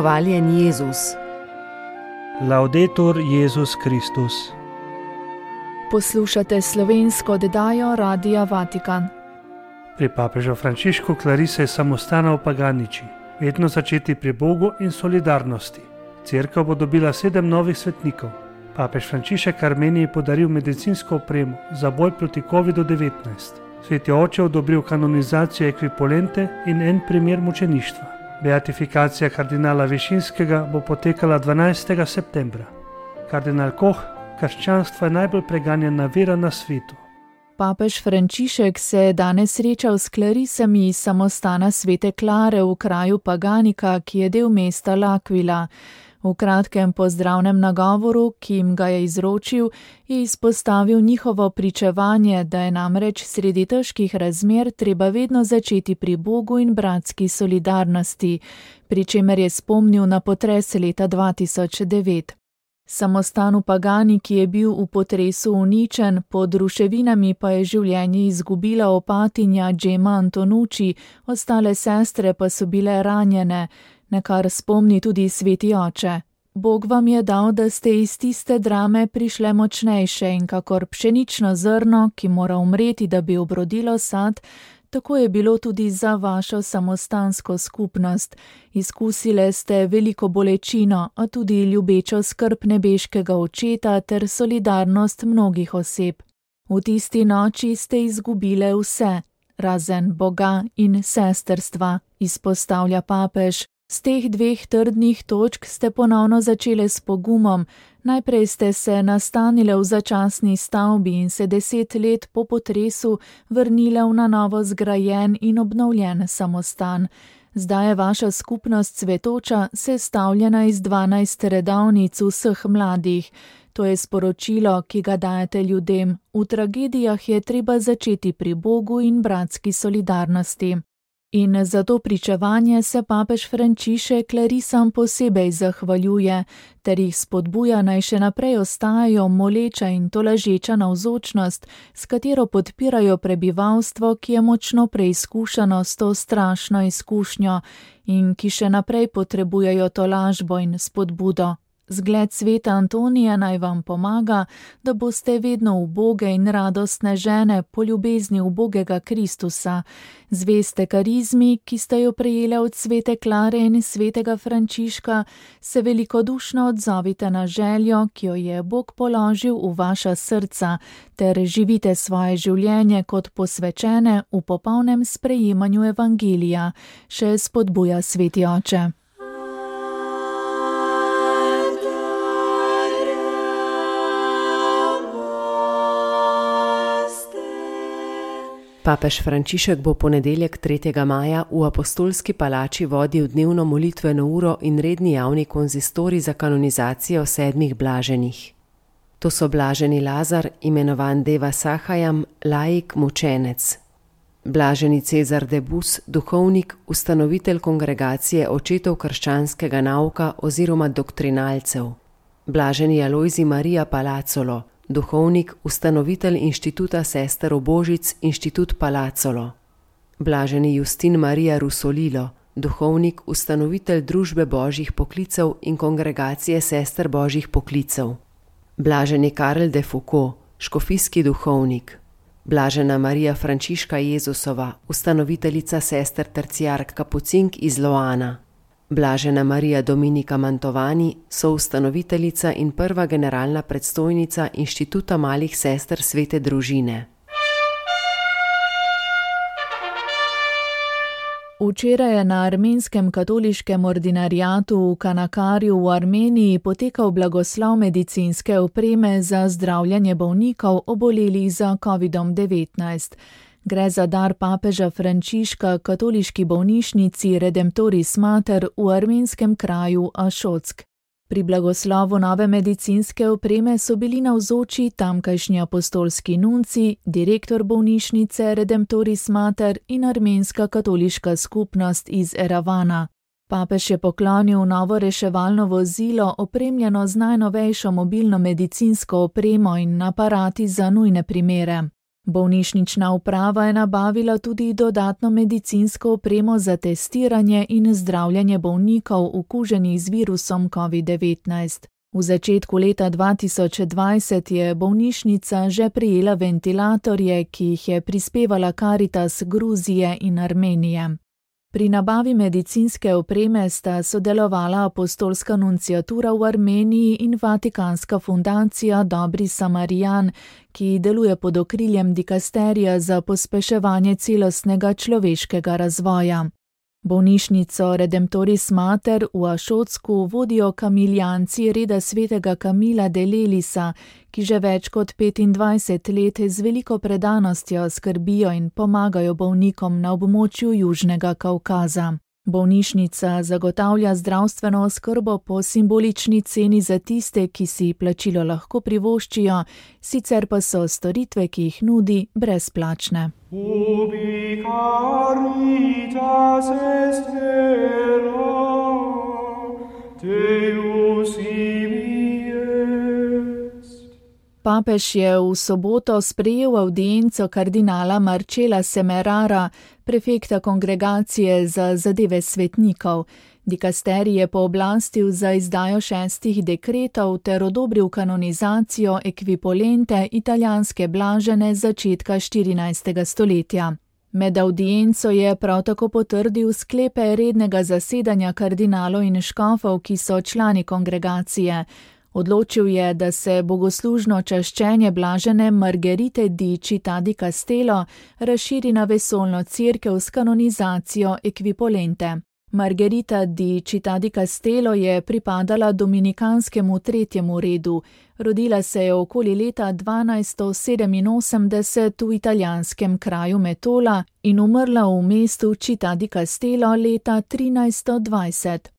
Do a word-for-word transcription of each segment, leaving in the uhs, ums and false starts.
Hvaljen Jezus. Laudetur Jezus Kristus. Poslušate slovensko oddajo Radia Vatikan. Pri papežu Frančišku klarise samostana v Paganiči, vedno začeti pri Bogu in solidarnosti. Cerkev bo dobila sedem novih svetnikov. Papež Frančišek Armeniji podaril medicinsko opremo za boj proti kovidu devetnajst. Sveti oče odobril kanonizacijo ekvipolente in en primer mučeništva. Beatifikacija kardinala Višinskega bo potekala dvanajstega septembra. Kardinal Koh, krščanstvo je najbolj preganjena vera na svetu. Papež Frančišek se je danes srečal s klarisami iz samostana Svete Klare v kraju Paganika, ki je del mesta L'Aquila. V kratkem pozdravnem nagovoru, ki jim ga je izročil, je izpostavil njihovo pričevanje, da je namreč sredi težkih razmer treba vedno začeti pri Bogu in bratski solidarnosti, pri čemer je spomnil na potres leta dva tisoč devet. Samostan v Paganiki je bil v potresu uničen, pod ruševinami pa je življenje izgubila opatinja Džema Antonucci, ostale sestre pa so bile ranjene, na kar spomni tudi sveti oče. Bog vam je dal, da ste iz tiste drame prišle močnejše in kakor pšenično zrno, ki mora umreti, da bi obrodilo sad, tako je bilo tudi za vašo samostansko skupnost. Izkusile ste veliko bolečino, a tudi ljubečo skrb nebeškega očeta ter solidarnost mnogih oseb. V tisti noči ste izgubile vse, razen Boga in sesterstva, izpostavlja papež. Z teh dveh trdnih točk ste ponovno začele s pogumom. Najprej ste se nastanile v začasni stavbi in se deset let po potresu vrnile v na novo zgrajen in obnovljen samostan. Zdaj je vaša skupnost cvetoča sestavljena iz dvanajst redovnic vseh mladih. To je sporočilo, ki ga dajete ljudem. V tragedijah je treba začeti pri Bogu in bratski solidarnosti. In za to pričevanje se papež Frančišek klarisam posebej zahvaljuje, ter jih spodbuja naj še naprej ostajajo moleča in tolažeča navzočnost, s katero podpirajo prebivalstvo, ki je močno preizkušano s to strašno izkušnjo in ki še naprej potrebujejo tolažbo in spodbudo. Zgled sveta Antonija naj vam pomaga, da boste vedno uboge in radostne žene po ljubezni ubogega Kristusa, zveste karizmi, ki ste jo prejele od svete Klare in svetega Frančiška, se velikodušno odzovite na željo, ki jo je Bog položil v vaša srca, ter živite svoje življenje kot posvečene v popolnem sprejemanju evangelija, še spodbuja sveti oče. Papež Frančišek bo ponedeljek tretjega maja v Apostolski palači vodil dnevno molitveno uro in redni javni konzistorij za kanonizacijo sedmih blaženih. To so blaženi Lazar, imenovan Deva Sahajam, laik mučenec. Blaženi Cezar de Bus, duhovnik, ustanovitelj kongregacije očetov krščanskega nauka oziroma doktrinalcev. Blaženi Alojzij Marija Palacolo, duhovnik, ustanovitelj inštituta sester Božic, inštitut Palacolo. Blaženi Justin Marija Rusolilo, duhovnik, ustanovitelj družbe božjih poklicev in kongregacije sester božjih poklicev. Blaženi Karel de Foucault, škofijski duhovnik. Blažena Marija Frančiška Jezusova, ustanoviteljica sester terciark kapucink iz Loana. Blažena Marija Dominika Mantovani, soustanoviteljica in prva generalna predstojnica Inštituta malih sester svete družine. Včeraj je na armenskem katoliškem ordinariatu v Kanakarju v Armeniji potekal blagoslov medicinske opreme za zdravljenje bolnikov obolelih za kovidom devetnajst. Gre za dar papeža Frančiška katoliški bolnišnici Redemptoris Mater v armenskem kraju Ašotsk. Pri blagoslovu nove medicinske opreme so bili navzoči tamkajšnji apostolski nunci, direktor bolnišnice Redemptoris Mater in armenska katoliška skupnost iz Eravana. Papež je poklonil novo reševalno vozilo, opremljeno z najnovejšo mobilno medicinsko opremo in aparati za nujne primere. Bolnišnična uprava je nabavila tudi dodatno medicinsko opremo za testiranje in zdravljenje bolnikov okuženih z virusom covid devetnajst. V začetku leta dva tisoč dvajset je bolnišnica že prejela ventilatorje, ki jih je prispevala Karitas Gruzije in Armenije. Pri nabavi medicinske opreme sta sodelovala apostolska nunciatura v Armeniji in Vatikanska fundacija Dobri Samarijan, ki deluje pod okriljem dikasterija za pospeševanje celostnega človeškega razvoja. Bolnišnico Redemptoris Mater v Ašocku vodijo kamiljanci reda svetega Kamila de Lelisa, ki že več kot petindvajset let z veliko predanostjo skrbijo in pomagajo bolnikom na območju Južnega Kavkaza. Bolnišnica zagotavlja zdravstveno oskrbo po simbolični ceni za tiste, ki si plačilo lahko privoščijo, sicer pa so storitve, ki jih nudi, brezplačne. Ubi caritas est vera, Deus ibi est. Papež je v soboto sprejel avdienco kardinala Marcela Semerara, prefekta kongregacije za zadeve svetnikov. Dikasterij je pooblastil za izdajo šestih dekretov ter odobril kanonizacijo ekvipolente italijanske blažene začetka štirinajstega stoletja. Med avdienco je prav tako potrdil sklepe rednega zasedanja kardinalov in škofov, ki so člani kongregacije. Odločil je, da se bogoslužno čaščenje blažene Margherite di Città di Castello razširi na vesoljno cerkev s kanonizacijo ekvipolente. Margherita di Città di Castello je pripadala dominikanskemu tretjemu redu. Rodila se je okoli leta dvanajststo sedeminosemdeset v italijanskem kraju Metola in umrla v mestu Città di Castello leta trinajststo dvajset.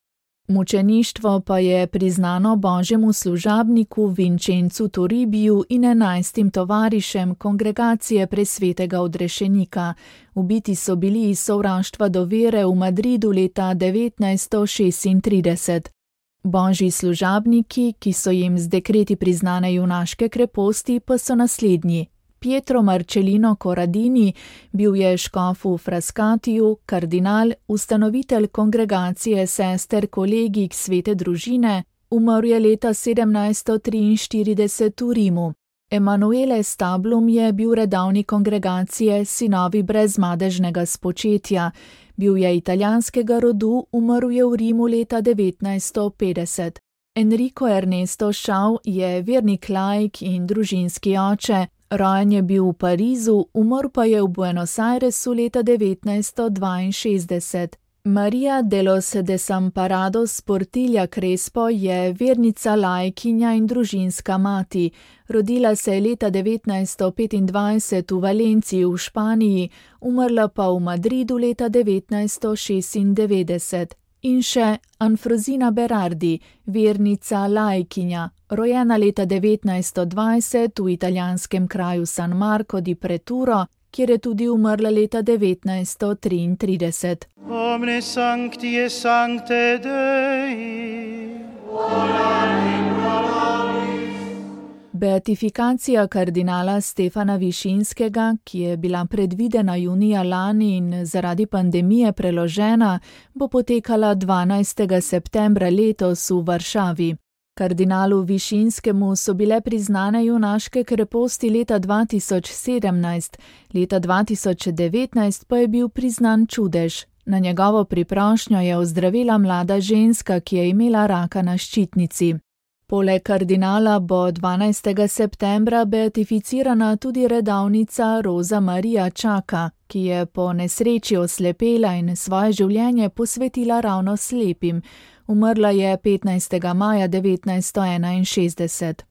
Mučeništvo pa je priznano božjemu služabniku Vincenzu Toribiju in enajstim tovarišem kongregacije presvetega odrešenika. Ubiti so bili iz sovraštva do vere v Madridu leta devetnajststo šestintrideset. Božji služabniki, ki so jim z dekreti priznane junaške kreposti, pa so naslednji. Pietro Marcellino Corradini, bil je škof v Frascatiju, kardinal, ustanovitelj kongregacije sester kolegij svete družine, umrl je leta sedemnajststo triinštirideset v Rimu. Emanuele Stablum je bil redavnik kongregacije Sinovi brezmadežnega spočetja. Bil je italijanskega rodu, umrl je v Rimu leta devetnajststo petdeset. Enrico Ernesto Schau je vernik laik in družinski oče. Rojen je bil v Parizu, umrl pa je v Buenos Airesu leta devetnajststo dvainšestdeset. Maria de los Desamparados Portilla Crespo je vernica laikinja in družinska mati. Rodila se je leta devetnajststo petindvajset v Valenciji v Španiji, umrla pa v Madridu leta devetnajststo šestindevetdeset. In še Anfrosina Berardi, vernica laikinja, rojena leta devetnajststo dvajset v italijanskem kraju San Marco di Preturo, kjer je tudi umrla leta devetnajststo triintrideset. Omne sancti et sancte Dei, Beatifikacija kardinala Stefana Višinskega, ki je bila predvidena junija lani in zaradi pandemije preložena, bo potekala dvanajstega septembra letos v Varšavi. Kardinalu Višinskemu so bile priznane junaške kreposti leta dva tisoč sedemnajst, leta dva tisoč devetnajst pa je bil priznan čudež. Na njegovo priprošnjo je ozdravila mlada ženska, ki je imela raka na ščitnici. Poleg kardinala bo dvanajstega septembra beatificirana tudi redavnica Roza Marija Čaka, ki je po nesreči oslepela in svoje življenje posvetila ravno slepim. Umrla je petnajstega maja devetnajststo enainšestdeset.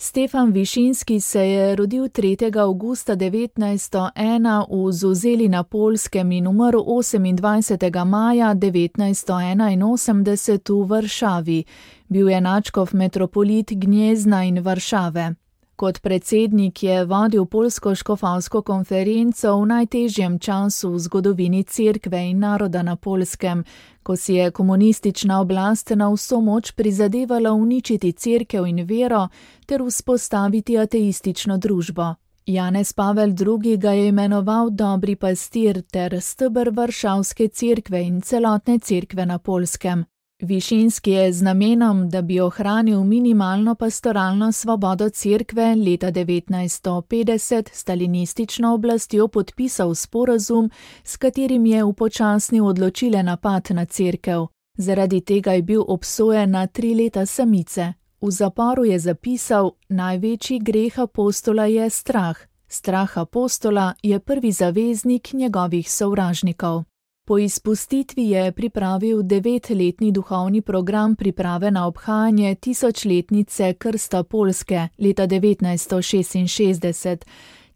Stefan Višinski se je rodil tretjega avgusta devetnajststo ena v Zuzeli na Poljskem in umrl osemindvajsetega maja devetnajststo enainosemdeset v Varšavi. Bil je nadškof metropolit Gnjezna in Varšave. Kot predsednik je vodil poljsko škofovsko konferenco v najtežjem času v zgodovini cerkve in naroda na Poljskem, ko si je komunistična oblast na vso moč prizadevala uničiti cerkev in vero ter vzpostaviti ateistično družbo. Janez Pavel drugi. ga je imenoval dobri pastir ter steber Varšavske cerkve in celotne cerkve na Poljskem. Višinski je z namenom, da bi ohranil minimalno pastoralno svobodo cerkve leta devetnajststo petdeset stalinistično oblastjo podpisal sporazum, s katerim je upočasnil odločilen napad na cerkev. Zaradi tega je bil obsojen na tri leta samice. V zaporu je zapisal: največji greh apostola je strah. Strah apostola je prvi zaveznik njegovih sovražnikov. Po izpustitvi je pripravil devetletni duhovni program priprave na obhajanje tisočletnice krsta Poljske leta devetnajststo šestinšestdeset.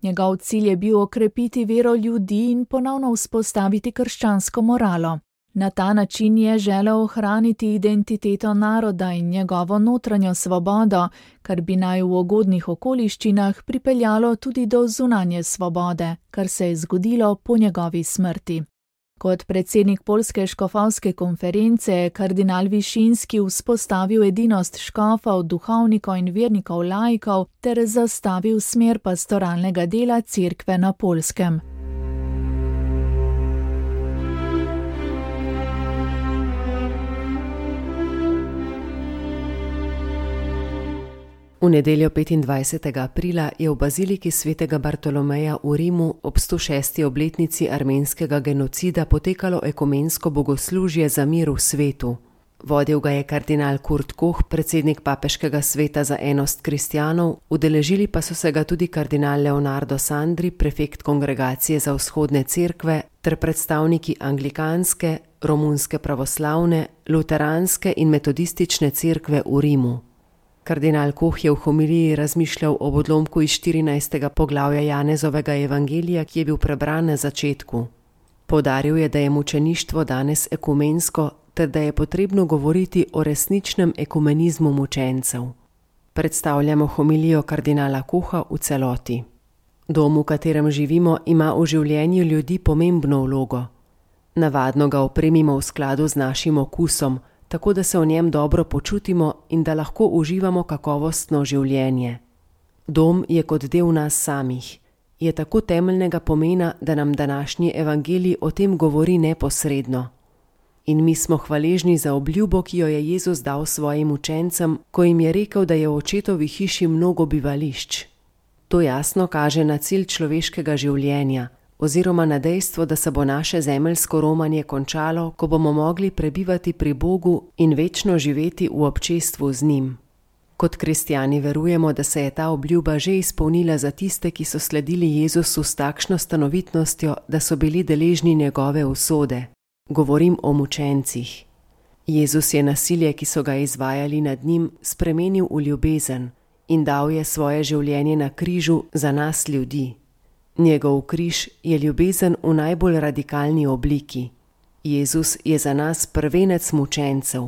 Njegov cilj je bil okrepiti vero ljudi in ponovno vzpostaviti krščansko moralo. Na ta način je želel ohraniti identiteto naroda in njegovo notranjo svobodo, kar bi naj v ugodnih okoliščinah pripeljalo tudi do zunanje svobode, kar se je zgodilo po njegovi smrti. Kot predsednik Poljske škofovske konference je kardinal Višinski vzpostavil edinost škofov, duhovnikov in vernikov laikov ter zastavil smer pastoralnega dela cerkve na Poljskem. V nedeljo petindvajsetega aprila je v baziliki svetega Bartolomeja v Rimu ob sto šesti obletnici armenskega genocida potekalo ekumensko bogoslužje za mir v svetu. Vodil ga je kardinal Kurt Koch, predsednik papeškega sveta za enost kristjanov, udeležili pa so se ga tudi kardinal Leonardo Sandri, prefekt kongregacije za vzhodne cerkve, ter predstavniki anglikanske, romunske pravoslavne, luteranske in metodistične cerkve v Rimu. Kardinal Koch je v homiliji razmišljal o odlomku iz štirinajstega poglavja Janezovega evangelija, ki je bil prebran na začetku. Poudaril je, da je mučeništvo danes ekumensko, ter da je potrebno govoriti o resničnem ekumenizmu mučencev. Predstavljamo homilijo kardinala Kocha v celoti. Dom, v katerem živimo, ima v življenju ljudi pomembno vlogo. Navadno ga opremimo v skladu z našim okusom, tako da se v njem dobro počutimo in da lahko uživamo kakovostno življenje. Dom je kot del nas samih. Je tako temeljnega pomena, da nam današnji evangelij o tem govori neposredno. In mi smo hvaležni za obljubo, ki jo je Jezus dal svojim učencem, ko jim je rekel, da je v očetovi hiši mnogo bivališč. To jasno kaže na cilj človeškega življenja, oziroma na dejstvo, da se bo naše zemeljsko romanje končalo, ko bomo mogli prebivati pri Bogu in večno živeti v občestvu z njim. Kot kristjani verujemo, da se je ta obljuba že izpolnila za tiste, ki so sledili Jezusu s takšno stanovitnostjo, da so bili deležni njegove usode. Govorim o mučencih. Jezus je nasilje, ki so ga izvajali nad njim, spremenil v ljubezen in dal je svoje življenje na križu za nas ljudi. Njegov križ je ljubezen v najbolj radikalni obliki. Jezus je za nas prvenec mučencev.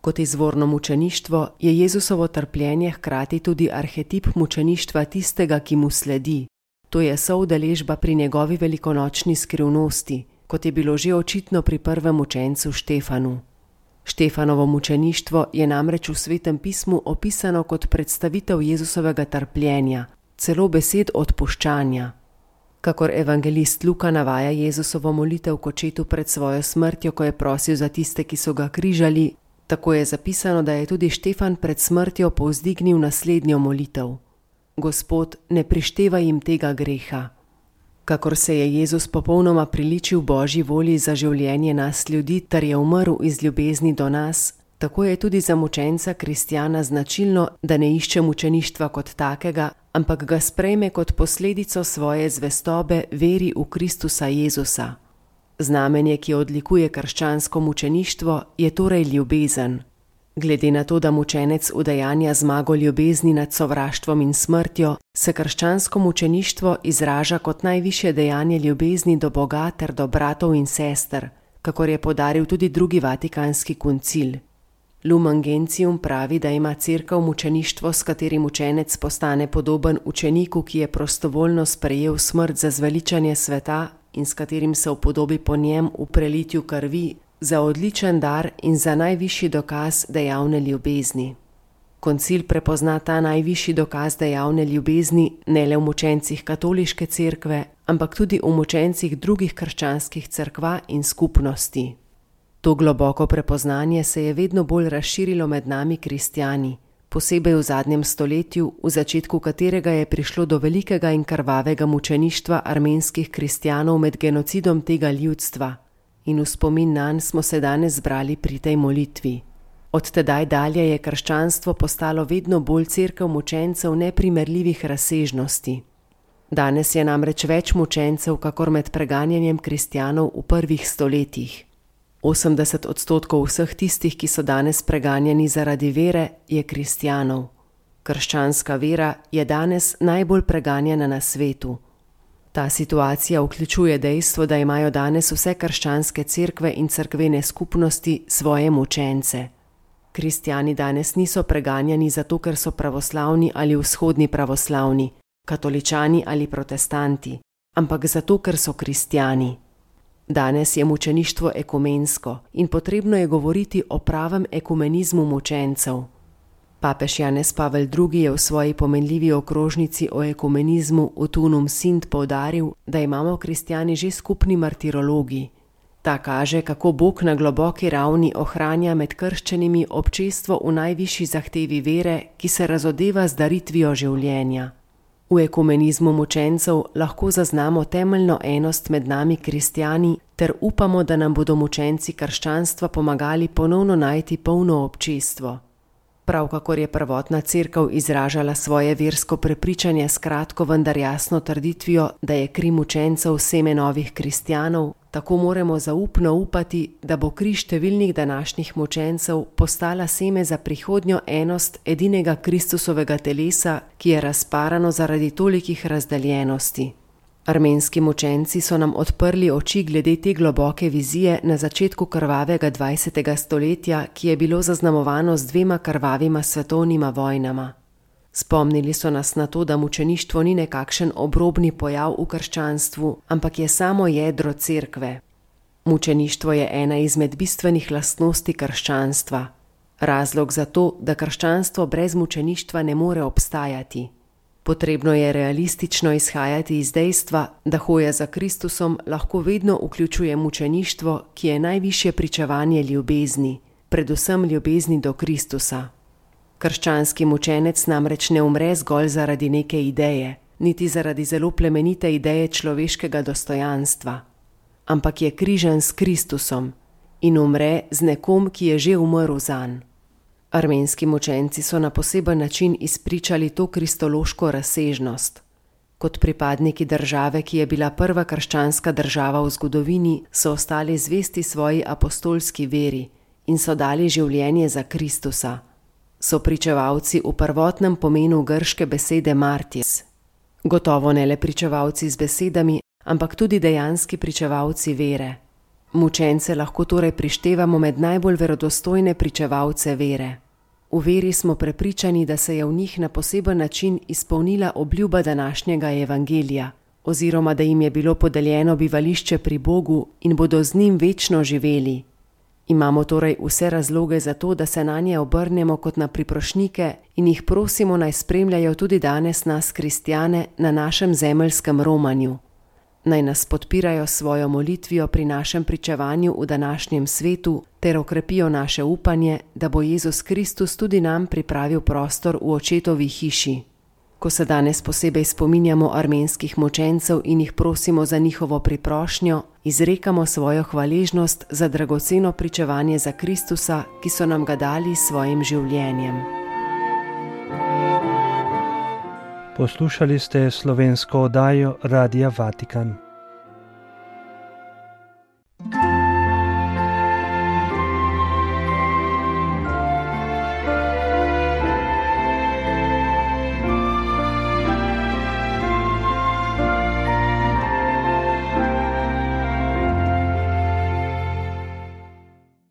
Kot izvorno mučeništvo je Jezusovo trpljenje hkrati tudi arhetip mučeništva tistega, ki mu sledi. To je soudeležba pri njegovi velikonočni skrivnosti, kot je bilo že očitno pri prvem mučencu Štefanu. Štefanovo mučeništvo je namreč v Svetem pismu opisano kot predstavitev Jezusovega trpljenja, celo besed odpuščanja. Kakor evangelist Luka navaja Jezusovo molitev k očetu pred svojo smrtjo, ko je prosil za tiste, ki so ga križali, tako je zapisano, da je tudi Štefan pred smrtjo povzdignil naslednjo molitev. Gospod, ne prištevaj jim tega greha. Kakor se je Jezus popolnoma priličil Božji volji za življenje nas ljudi, ter je umrl iz ljubezni do nas, tako je tudi za mučenca kristjana značilno, da ne išče mučeništva kot takega, ampak ga sprejme kot posledico svoje zvestobe veri v Kristusa Jezusa. Znamenje, ki odlikuje krščansko mučeništvo, je torej ljubezen. Glede na to, da mučenec udejanja zmago ljubezni nad sovraštvom in smrtjo, se krščansko mučeništvo izraža kot najvišje dejanje ljubezni do Boga ter do bratov in sester, kakor je poudaril tudi drugi vatikanski koncil. Lumen Gentium pravi, da ima cerkev mučeništvo, s katerim učenec postane podoben učeniku, ki je prostovoljno sprejel smrt za zveličanje sveta in s katerim se upodobi po njem v prelitju krvi, za odličen dar in za najvišji dokaz dejavne ljubezni. Koncil prepozna ta najvišji dokaz dejavne ljubezni ne le v mučencih katoliške cerkve, ampak tudi v mučencih drugih krščanskih cerkva in skupnosti. To globoko prepoznanje se je vedno bolj razširilo med nami kristjani, posebej v zadnjem stoletju, v začetku katerega je prišlo do velikega in krvavega mučeništva armenskih kristjanov med genocidom tega ljudstva, in v spomin nanj smo se danes zbrali pri tej molitvi. Od tedaj dalje je krščanstvo postalo vedno bolj cerkev mučencev neprimerljivih razsežnosti. Danes je namreč več mučencev, kakor med preganjanjem kristjanov v prvih stoletjih. osemdeset odstotkov vseh tistih, ki so danes preganjani zaradi vere, je kristjanov. Krščanska vera je danes najbolj preganjana na svetu. Ta situacija vključuje dejstvo, da imajo danes vse krščanske cerkve in cerkvene skupnosti svoje mučence. Kristjani danes niso preganjani zato, ker so pravoslavni ali vzhodni pravoslavni, katoličani ali protestanti, ampak zato, ker so kristjani. Danes je mučeništvo ekumensko in potrebno je govoriti o pravem ekumenizmu mučencev. Papež Janez Pavel drugi je v svoji pomenljivi okrožnici o ekumenizmu Utunum Sint poudaril, da imamo kristjani že skupni martirologi. Ta kaže, kako Bog na globoki ravni ohranja med krščenimi občestvo v najvišji zahtevi vere, ki se razodeva z daritvijo življenja. V ekumenizmu mučencev lahko zaznamo temeljno enost med nami kristjani ter upamo, da nam bodo mučenci krščanstva pomagali ponovno najti polno občestvo. Prav kakor je prvotna cerkev izražala svoje versko prepričanje s kratko, vendar jasno trditvijo, da je kri mučencev seme novih kristjanov, tako moramo zaupno upati, da bo kri številnih današnjih mučencev postala seme za prihodnjo enost edinega Kristusovega telesa, ki je razparano zaradi tolikih razdeljenosti. Armenski mučenci so nam odprli oči glede te globoke vizije na začetku krvavega dvajsetega stoletja, ki je bilo zaznamovano z dvema krvavima svetovnima vojnama. Spomnili so nas na to, da mučeništvo ni nekakšen obrobni pojav v krščanstvu, ampak je samo jedro cerkve. Mučeništvo je ena izmed bistvenih lastnosti krščanstva. Razlog za to, da krščanstvo brez mučeništva ne more obstajati. Potrebno je realistično izhajati iz dejstva, da hoja za Kristusom lahko vedno vključuje mučeništvo, ki je najvišje pričevanje ljubezni, predvsem ljubezni do Kristusa. Krščanski mučenec namreč ne umre zgolj zaradi neke ideje, niti zaradi zelo plemenite ideje človeškega dostojanstva, ampak je križan s Kristusom in umre z nekom, ki je že umrl zanj. Armenski mučenci so na poseben način izpričali to kristološko razsežnost. Kot pripadniki države, ki je bila prva krščanska država v zgodovini, so ostali zvesti svoji apostolski veri in so dali življenje za Kristusa. So pričevalci v prvotnem pomenu grške besede martis. Gotovo ne le pričevalci z besedami, ampak tudi dejanski pričevalci vere. Mučence lahko torej prištevamo med najbolj verodostojne pričevalce vere. V veri smo prepričani, da se je v njih na poseben način izpolnila obljuba današnjega evangelija, oziroma da jim je bilo podeljeno bivališče pri Bogu in bodo z njim večno živeli. Imamo torej vse razloge za to, da se nanje obrnemo kot na priprošnike in jih prosimo, naj spremljajo tudi danes nas kristjane na našem zemeljskem romanju. Naj nas podpirajo svojo molitvijo pri našem pričevanju v današnjem svetu ter okrepijo naše upanje, da bo Jezus Kristus tudi nam pripravil prostor v očetovi hiši. Ko se danes posebej spominjamo armenskih mučencev in jih prosimo za njihovo priprošnjo, izrekamo svojo hvaležnost za dragoceno pričevanje za Kristusa, ki so nam ga dali s svojim življenjem. Poslušali ste slovensko oddajo Radia Vatikan.